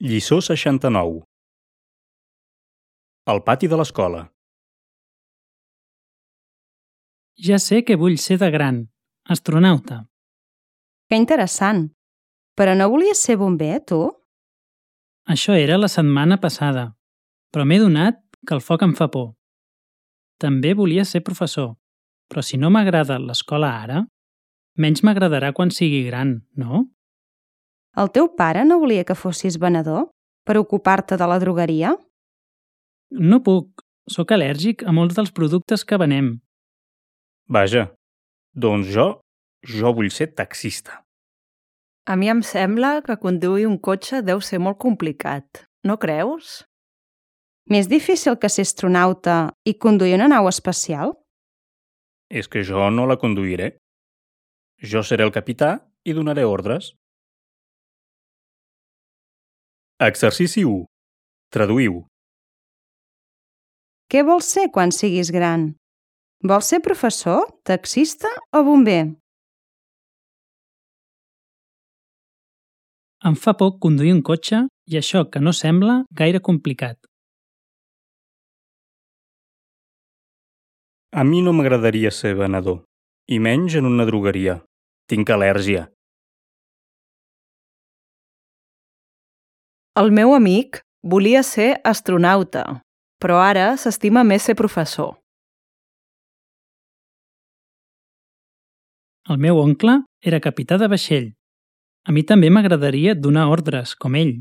Lliçó 69. Al pati de l'escola. Ja sé que vull ser de gran, astronauta. Que interessant. Però no volies ser bomber, tu? Això era la setmana passada, però m'he donat que el foc em fa por. També volia ser professor, però si no m'agrada l'escola ara, menys m'agradarà quan sigui gran, no? El teu pare no volia que fossis venedor per ocupar-te de la drogueria? No puc, sóc al·lèrgic a molts dels productes que venem. Vaja, doncs jo vull ser taxista. A mi em sembla que conduir un cotxe deu ser molt complicat, no creus? Més difícil que ser astronauta i conduir una nau espacial? És que jo no la conduiré. Jo seré el capità i donaré ordres. Exercici 1. Traduïu. Què vols ser quan siguis gran? Vols ser professor, taxista o bomber? Em fa por conduir un cotxe i això que no sembla gaire complicat. A mi no m'agradaria ser venedor, i menys en una drogueria. Tinc al·lèrgia. El meu amic volia ser astronauta, però ara s'estima més ser professor. El meu oncle era capità de vaixell. A mi també m'agradaria donar ordres, com ell.